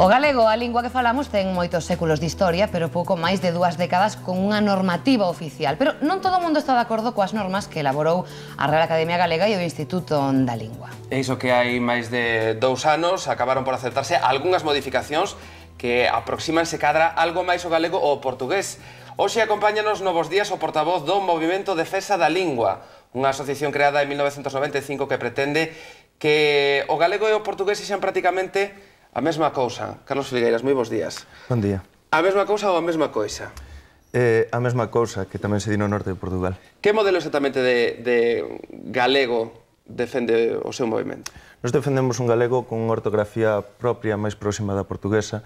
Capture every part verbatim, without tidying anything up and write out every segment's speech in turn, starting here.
O galego, a lingua que falamos, ten moitos séculos de historia, pero pouco máis de dúas décadas con unha normativa oficial. Pero non todo o mundo está de acordo coas normas que elaborou a Real Academia Galega e o Instituto da Lingua. É iso que hai máis de dous anos acabaron por acertarse algunhas modificacións que aproximanse cadra algo máis o galego ou o portugués. Hoxe acompáñanos novos días o portavoz do Movimento Defensa da Lingua, unha asociación creada en mil novecentos noventa e cinco que pretende que o galego e o portugués sexan prácticamente a mesma cousa. Carlos Filgueiras, moi bons días. Bon día. A mesma cousa ou a mesma coisa? Eh, a mesma cousa, que tamén se di no norte de Portugal. Que modelo exactamente de, de galego defende o seu movimento? Nos defendemos un galego con unha ortografía propia máis próxima da portuguesa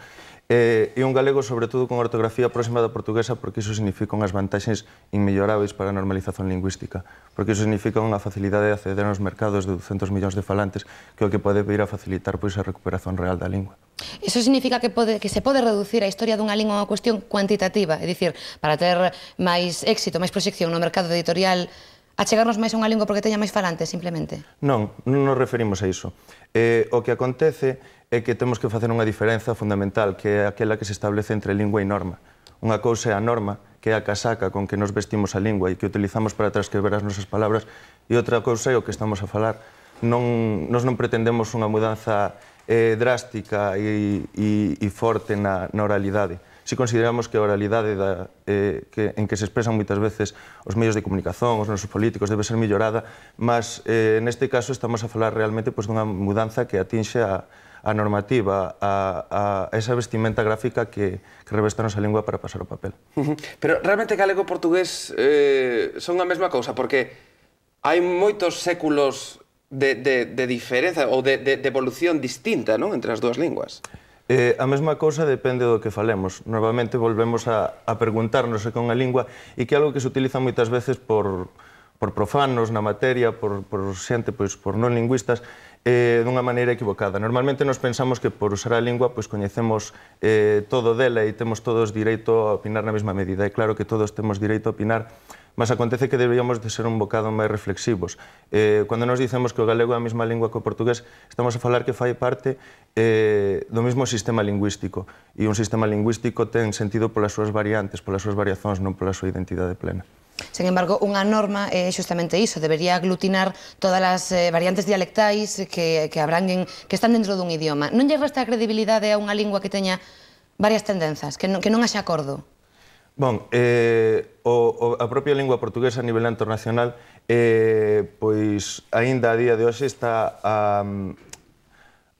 eh, e un galego, sobre todo, con ortografía próxima da portuguesa porque iso significa unhas vantaxes inmelloráveis para a normalización lingüística, porque iso significa unha facilidade de acceder aos mercados de ducentos millóns de falantes que o que pode vir a facilitar pois, a recuperación real da lingua. Iso significa que, pode, que se pode reducir a historia dunha lingua a unha cuestión cuantitativa, é dicir, para ter máis éxito, máis proxección no mercado editorial, achegarnos máis a unha lingua porque teña máis falantes, simplemente? Non, non nos referimos a iso. Eh, o que acontece é que temos que facer unha diferenza fundamental, que é aquela que se establece entre lingua e norma. Unha cousa é a norma, que é a casaca con que nos vestimos a lingua e que utilizamos para transcribir as nosas palabras, e outra cousa é o que estamos a falar. Non, nos non pretendemos unha mudanza eh, drástica e, e, e forte na, na oralidade. Si consideramos que a oralidade da, eh, que, en que se expresan moitas veces os medios de comunicación, os nosos políticos, debe ser mellorada, mas eh, neste caso estamos a falar realmente pues, dunha mudanza que atinxe a, a normativa, a, a esa vestimenta gráfica que, que reveste a nosa lingua para pasar o papel. Uh-huh. Pero realmente galego e portugués eh, son a mesma cousa, porque hai moitos séculos de, de, de diferenza ou de, de, de evolución distinta, non, entre as dúas linguas. Eh, a mesma cousa depende do que falemos. Normalmente volvemos a, a preguntarnos se con a lingua e que é algo que se utiliza moitas veces por, por profanos na materia, por, por xente, pois, por non lingüistas, eh, dunha maneira equivocada. Normalmente nos pensamos que por usar a lingua pois, coñecemos eh, todo dela e temos todos direito a opinar na mesma medida. É claro que todos temos direito a opinar, mas acontece que deberíamos de ser un bocado máis reflexivos. Eh, cando nos dicemos que o galego é a mesma lingua que o portugués, estamos a falar que fai parte eh, do mesmo sistema lingüístico. E un sistema lingüístico ten sentido polas súas variantes, polas súas variacións, non pola súa identidade plena. Sen embargo, unha norma é xustamente iso, debería aglutinar todas as eh, variantes dialectais que, que abranguen, que están dentro dun idioma. Non lle resta credibilidade a unha lingua que teña varias tendenzas, que non, que non haxa acordo? Bon, eh, o, o, a propia lingua portuguesa a nivel internacional eh, pois aínda a día de hoxe está a,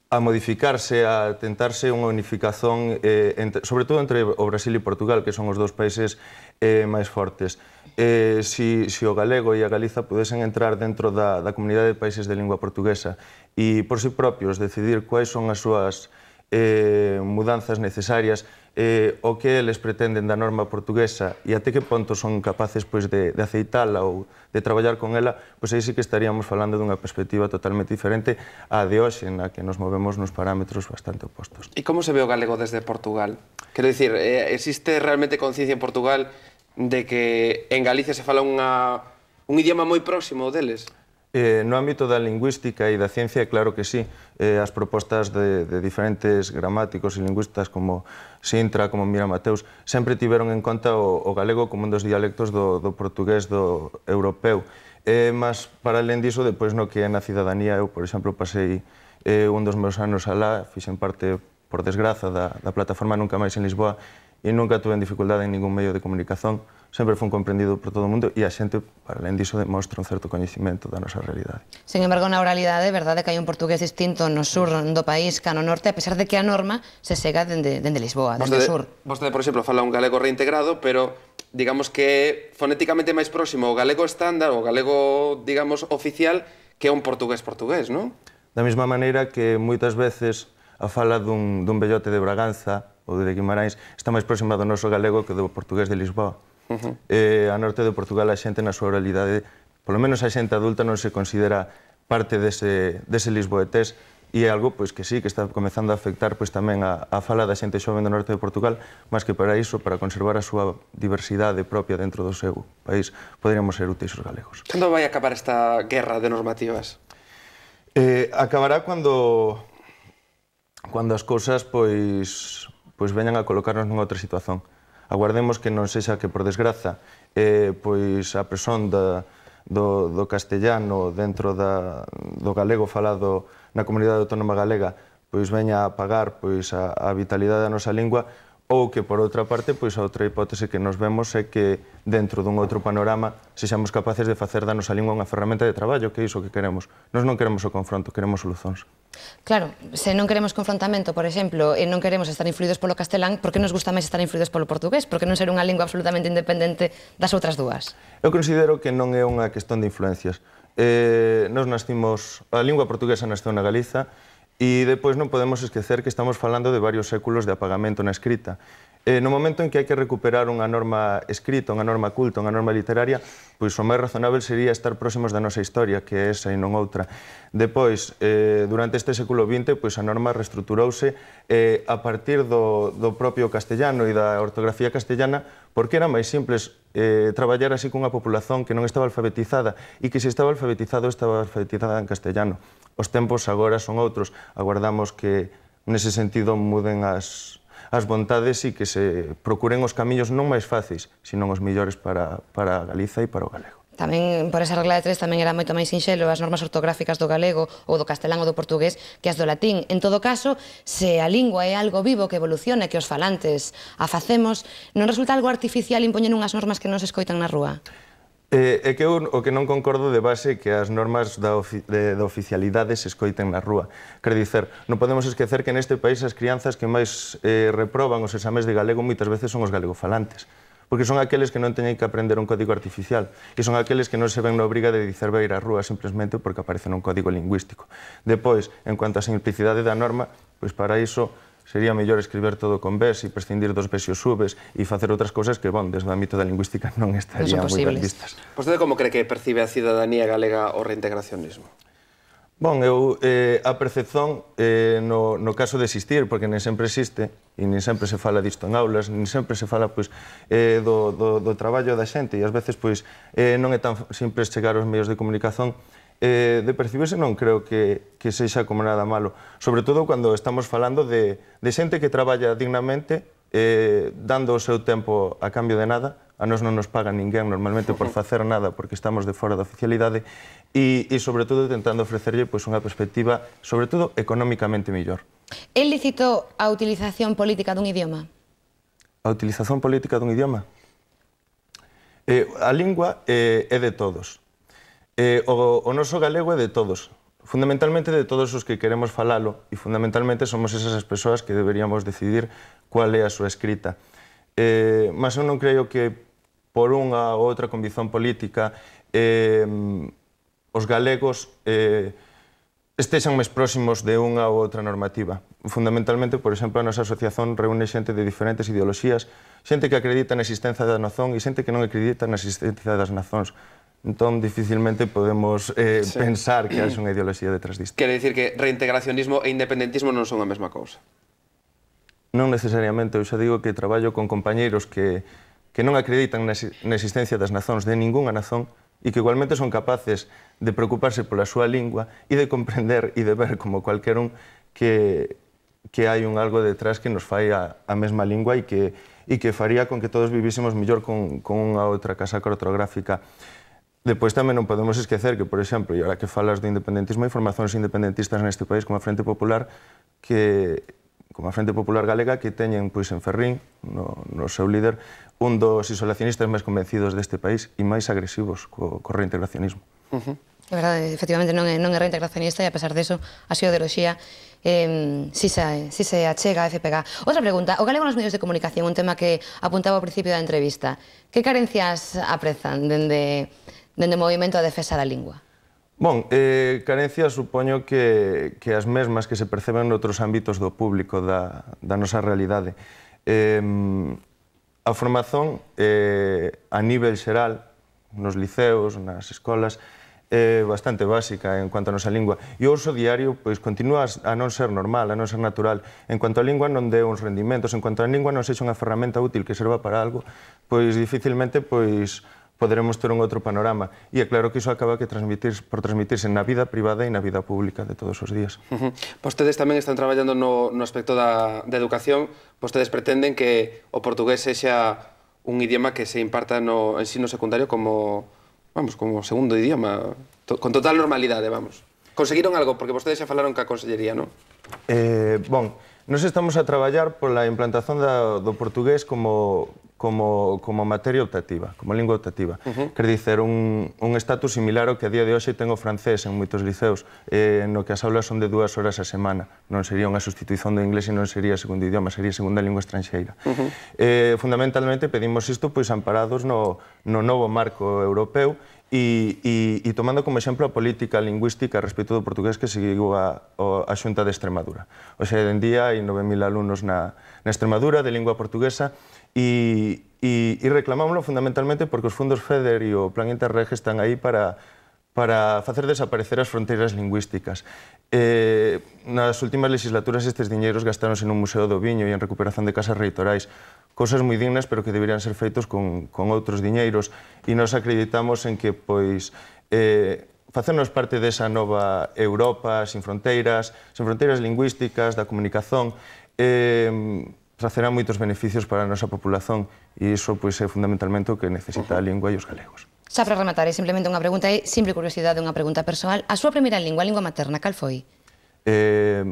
a modificarse, a tentarse unha unificación eh, entre, sobre todo entre o Brasil e Portugal, que son os dous países eh, máis fortes. Eh, si, si o galego e a Galiza pudesen entrar dentro da, da comunidade de países de lingua portuguesa e por si propios decidir quais son as súas eh, mudanzas necesarias, eh, o que eles pretenden da norma portuguesa e até que ponto son capaces pois, de, de aceitala ou de traballar con ela, pois aí sí que estaríamos falando dunha perspectiva totalmente diferente á de hoxe, na que nos movemos nos parámetros bastante opostos. E como se ve o galego desde Portugal? Quero dicir, eh, existe realmente conciencia en Portugal de que en Galicia se fala unha, un idioma moi próximo deles? Eh, no ámbito da lingüística e da ciencia, claro que sí. Eh, as propostas de, de diferentes gramáticos e lingüistas como Sintra, como Mira Mateus, sempre tiveron en conta o, o galego como un dos dialectos do, do portugués do europeu. Eh, mas, para alén diso, depois no que é na cidadanía, eu, por exemplo, pasei eh, un dos meus anos alá, fixen parte, por desgraza, da, da plataforma Nunca Máis en Lisboa, e nunca tuve dificultade en ningún medio de comunicación, sempre fun comprendido por todo o mundo e a xente, para alén diso, demostra un certo coñecimento da nosa realidade. Sen embargo, na oralidade, é verdade que hai un portugués distinto no sur do país que no norte, a pesar de que a norma se sega dende, dende Lisboa, dende o sur. Vostede, por exemplo, fala un galego reintegrado, pero digamos que é fonéticamente máis próximo o galego estándar, o galego, digamos, oficial, que é un portugués portugués, non? Da mesma maneira que moitas veces a fala dun, dun vellote de Braganza ou de Guimarães está máis próxima do noso galego que do portugués de Lisboa. Uh-huh. eh, a norte de Portugal a xente na súa oralidade, polo menos a xente adulta non se considera parte dese, dese lisboetés e é algo pois, que sí, que está comezando a afectar pois, tamén a, a fala da xente xoven do norte de Portugal, mas que para iso, para conservar a súa diversidade propia dentro do seu país, poderíamos ser úteis os galegos. Cando vai acabar esta guerra de normativas? Eh, acabará cando cando as cousas pois, pois veñan a colocarnos nunha outra situación. Aguardemos que non sexa que, por desgraza, eh, pois a presión da, do, do castellano dentro da, do galego falado na comunidade autónoma galega pois veña a apagar pois, a, a vitalidade da nosa lingua, ou que, por outra parte, pois a outra hipótese que nos vemos é que, dentro dun outro panorama, sexamos capaces de facer da nosa lingua unha ferramenta de traballo, que é iso que queremos. Nós non queremos o confronto, queremos solucións. Claro, se non queremos confrontamento, por exemplo, e non queremos estar influídos polo castelán, por que nos gusta máis estar influídos polo portugués? Por que non ser unha lingua absolutamente independente das outras dúas? Eu considero que non é unha cuestión de influencias. Eh, nos nascimos, a lingua portuguesa nasceu na Galiza, e depois non podemos esquecer que estamos falando de varios séculos de apagamento na escrita. Eh, no momento en que hai que recuperar unha norma escrita, unha norma culta, unha norma literaria, pois o máis razonável sería estar próximos da nosa historia, que é esa e non outra. Depois, eh, durante este século vinte, pois a norma reestruturouse eh, a partir do, do propio castellano e da ortografía castellana, porque era máis simples eh, traballar así cunha populación que non estaba alfabetizada e que se estaba alfabetizado, estaba alfabetizada en castellano. Os tempos agora son outros. Aguardamos que, nese sentido, muden as, as vontades e que se procuren os camiños non máis fáceis, senón os millores para, para Galiza e para o galego. Tamén, por esa regla de tres, tamén era moito máis sinxelo as normas ortográficas do galego ou do castelán ou do portugués que as do latín. En todo caso, se a lingua é algo vivo que evoluciona, que os falantes a facemos, non resulta algo artificial impoñer unhas normas que non se escoitan na rúa? Eh, é que eu o que non concordo de base que as normas da, ofi de, da oficialidade se escoiten na rúa. Quer dicer, non podemos esquecer que neste país as crianzas que máis eh, reproban os exames de galego moitas veces son os galegofalantes, porque son aqueles que non teñen que aprender un código artificial e son aqueles que non se ven na obriga de dicer beir a rúa simplemente porque aparece nun código lingüístico. Depois, en cuanto á simplicidade da norma, pois para iso sería mellor escribir todo con ves e prescindir dos ves e os subes e facer outras cousas que, bon, desde o ámbito da lingüística non estarían moi ben vistas. Vostede como cree que percibe a cidadanía galega o reintegracionismo? Bon, eu, eh, a percepción eh, no, no caso de existir, porque nen sempre existe, e nen sempre se fala disto en aulas, nen sempre se fala pois, eh, do, do, do traballo da xente, e ás veces pois, eh, non é tan simples chegar aos medios de comunicación. Eh, de percibirse non creo que, que sexa como nada malo, sobre todo cando estamos falando de, de xente que traballa dignamente, eh, dando o seu tempo a cambio de nada. A nós non nos paga ninguén normalmente por facer nada porque estamos de fora da oficialidade e, e sobre todo tentando ofrecerlle pois, unha perspectiva, sobre todo económicamente mellor. É lícito a utilización política dun idioma? A utilización política dun idioma? Eh, a lingua eh, é de todos. Eh, o, o noso galego é de todos, fundamentalmente de todos os que queremos falalo e fundamentalmente somos esas persoas que deberíamos decidir cual é a súa escrita. Eh, mas eu non creo que por unha ou outra condición política eh, os galegos eh, estexan máis próximos de unha ou outra normativa. Fundamentalmente, por exemplo, a nosa asociación reúne xente de diferentes ideoloxías, xente que acredita na existencia da nación e xente que non acredita na existencia das nacións. Entón, dificilmente podemos eh, sí. pensar que hai unha ideoloxía detrás disto. Quere dicir que reintegracionismo e independentismo non son a mesma cousa? Non necesariamente. Eu xa digo que traballo con compañeiros que, que non acreditan na, na existencia das nazóns, de ningunha nazón, e que igualmente son capaces de preocuparse pola súa lingua e de comprender e de ver como cualquer un que, que hai un algo detrás que nos fai a, a mesma lingua e que, e que faría con que todos vivísemos mellor con, con unha outra casaca ortográfica. Depois tamén non podemos esquecer que, por exemplo, e ahora que falas do independentismo, hai formacións independentistas neste país como a Frente Popular, que, como a Frente Popular Galega, que teñen pois, en Ferrín, no, no seu líder, un dos isolacionistas máis convencidos deste país e máis agresivos co, co reintegracionismo. Uh -huh. É verdade, efectivamente non é, non é reintegracionista e a pesar deso, a súa ideoloxía eh, si, se, si se achega a F P G. Outra pregunta, o galego nos medios de comunicación, un tema que apuntaba ao principio da entrevista. Que carencias aprezan dende dende o movimento a defensa da lingua? Bon, eh, carencias supoño que, que as mesmas que se perceben noutros ámbitos do público, da, da nosa realidade. Eh, a formación eh, a nivel xeral, nos liceos, nas escolas, é bastante básica en cuanto a nosa lingua. E o uso diario pois, continúa a non ser normal, a non ser natural. En cuanto a lingua non dé uns rendimentos, en cuanto a lingua non sexa unha ferramenta útil que serva para algo, pois dificilmente pois, poderemos ter un outro panorama. E é claro que iso acaba que transmitir, por transmitirse na vida privada e na vida pública de todos os días. Uh -huh. Vostedes tamén están traballando no, no aspecto da, da educación. Vostedes pretenden que o portugués sexa un idioma que se imparta no ensino secundario como, vamos, como segundo idioma, to, con total normalidade, vamos. Conseguiron algo? Porque vostedes xa falaron ca Consellería, non? Eh, bon, nos estamos a traballar pola implantación da, do portugués como... Como, como materia optativa, como lingua optativa. Uh -huh. Quer dicer, un, un estatus similar ao que a día de hoxe ten o francés en moitos liceos, eh, no que as aulas son de dúas horas a semana. Non sería unha sustitución do inglés e non sería segundo idioma, sería segunda lingua estranxeira. Uh -huh. eh, fundamentalmente pedimos isto pois amparados no, no novo marco europeu e, e, e tomando como exemplo a política lingüística respecto do portugués que seguiu a, a Xunta de Extremadura. O sea, en día hai nove mil alumnos na, na Extremadura de lingua portuguesa e, e, e reclamámoslo fundamentalmente porque os fondos FEDER e o Plan Interreg están aí para, para facer desaparecer as fronteiras lingüísticas. Eh, nas últimas legislaturas estes diñeiros gastáronse nun museo do viño e en recuperación de casas reitorais, cosas moi dignas pero que deberían ser feitos con, con outros diñeiros e nos acreditamos en que pois eh, facernos parte desa nova Europa sin fronteiras, sin fronteiras lingüísticas, da comunicación, eh, tracerá moitos beneficios para a nosa populación e iso pois, é fundamentalmente o que necesita a lingua e os galegos. Xa para rematar, é simplemente unha pregunta, é simple curiosidade, unha pregunta persoal. A súa primeira lingua, a lingua materna, cal foi? Eh,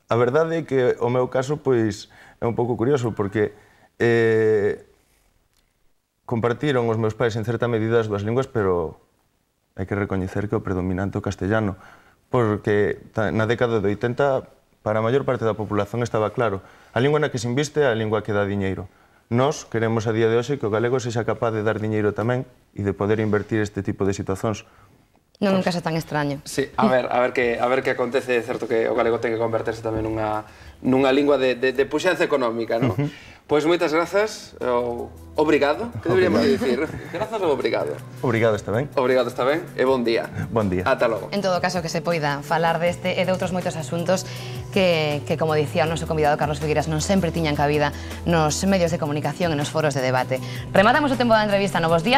a verdade é que o meu caso pois, é un pouco curioso porque eh, compartiron os meus pais en certa medida as dúas linguas, pero hai que recoñecer que o predominante o castellano, porque na década de oitenta para a maior parte da populación estaba claro, a lingua na que se inviste é a lingua que dá diñeiro. Nós queremos a día de hoxe que o galego sexa capaz de dar diñeiro tamén e de poder invertir este tipo de situacións. Non nunca xa tan extraño. Sí, a ver, a ver que a ver que acontece, é certo que o galego ten que converterse tamén nunha nunha lingua de de de puxanza económica, non? Uh -huh. Pois moitas grazas, o obrigado, que deberíamos dicir? Grazas ou obrigado? Obrigado, está ben? Obrigado, está ben, e bon día. Bon día. Ata logo. En todo caso, que se poida falar deste e de outros moitos asuntos que, que como dicía o noso convidado Carlos Figueiras, non sempre tiñan cabida nos medios de comunicación e nos foros de debate. Rematamos o tempo da entrevista. Novos días.